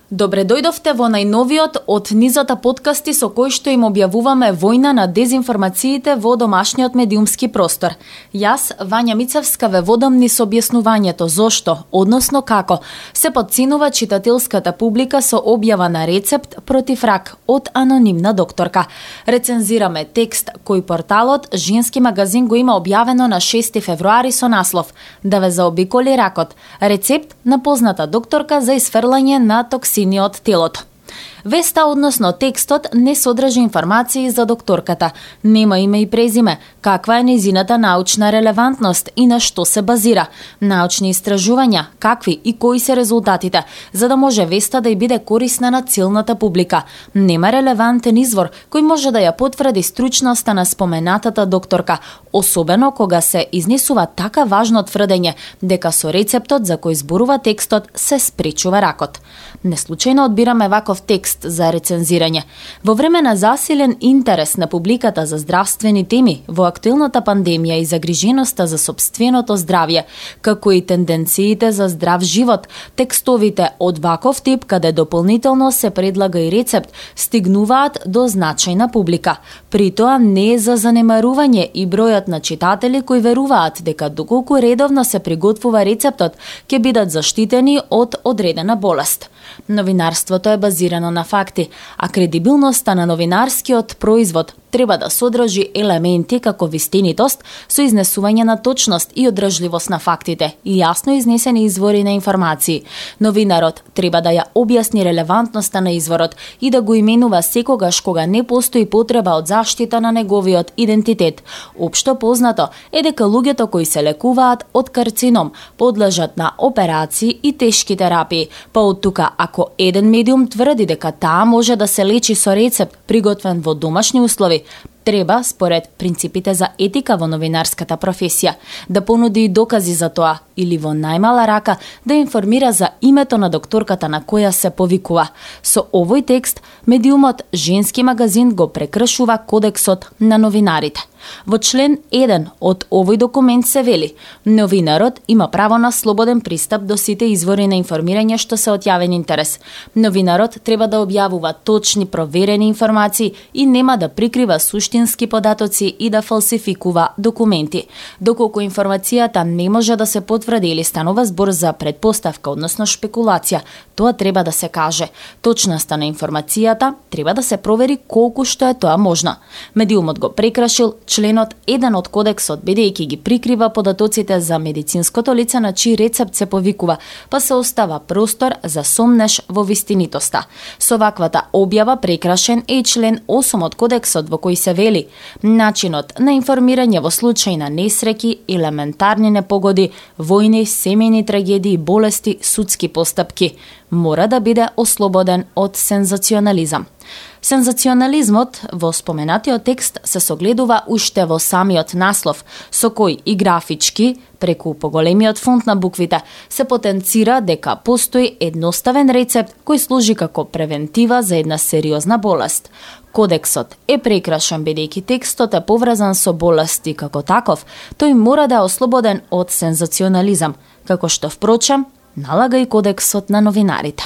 Добре дојдовте во најновиот од низата подкасти со кои што им објавуваме војна на дезинформациите во домашниот медиумски простор. Јас, Вања Мицевска, ве водам низ објаснувањето зошто, односно како, се потценува читателската публика со објава на рецепт против рак од анонимна докторка. Рецензираме текст кој порталот Женски магазин го има објавено на 6 февруари со наслов "Да ве заобиколи ракот. Рецепт на позната докторка за исфрлање на токсини од телото". Веста, односно текстот, не содржи информации за докторката. Нема име и презиме, каква е незината научна релевантност и на што се базира. Научни истражувања, какви и кои се резултатите, за да може веста да ја биде корисна на целната публика. Нема релевантен извор кој може да ја потврди стручноста на споменатата докторка, особено кога се изнесува така важно тврдење дека со рецептот за кој зборува текстот се спречува ракот. Неслучајно одбираме ваков текст за рецензирање. Во време на засилен интерес на публиката за здравствени теми, во актуелната пандемија и загриженоста за сопственото здравје, како и тенденциите за здрав живот, текстовите од ваков тип, каде дополнително се предлага и рецепт, стигнуваат до значајна публика. При тоа не е за занемарување и бројот на читатели кои веруваат дека доколку редовно се приготвува рецептот, ќе бидат заштитени од одредена болест. Новинарството е базирано на факти, а кредибилноста на новинарскиот производ треба да содржи елементи како вистинитост со изнесување на точност и одржливост на фактите и јасно изнесени извори на информации. Новинарот треба да ја објасни релевантноста на изворот и да го именува секогаш кога не постои потреба од заштита на неговиот идентитет. Општо познато е дека луѓето кои се лекуваат од карцином подлежат на операции и тешки терапии, па од тука ако еден медиум тврди дека таа може да се лечи со рецепт приготвен во домашни услови, треба, според принципите за етика во новинарската професија, да понуди и докази за тоа или во најмала рака да информира за името на докторката на која се повикува. Со овој текст, медиумот Женски магазин го прекршува кодексот на новинарите. Во член 1 од овој документ се вели: новинарот има право на слободен пристап до сите извори на информирање што се од јавен интерес. Новинарот треба да објавува точни, проверени информации и нема да прикрива суштински податоци и да фалсификува документи. Доколку информацијата не може да се потврди или станува збор за предпоставка, односно шпекулација, тоа треба да се каже. Точноста на информацијата треба да се провери колку што е тоа можно. Медиумот го прекрашил членот 1 од кодексот, бидејќи ги прикрива податоците за медицинското лице на чиј рецепт се повикува, па се остава простор за сомнеш во вистинитоста. Со ваквата објава прекрашен е и член 8 од кодексот во кој се вели: начинот на информирање во случај на несреќи, елементарни непогоди, војни, семејни трагедии, болести, судски постапки мора да биде ослободен од сензационализам. Сензационализмот во споменатиот текст се согледува уште во самиот наслов, со кој и графички, преку поголемиот фонт на буквите, се потенцира дека постои едноставен рецепт кој служи како превентива за една сериозна болест. Кодексот е прекрашен бидејќи текстот е поврзан со болести како таков, тој мора да е ослободен од сензационализам, како што впрочем налага и кодексот на новинарите.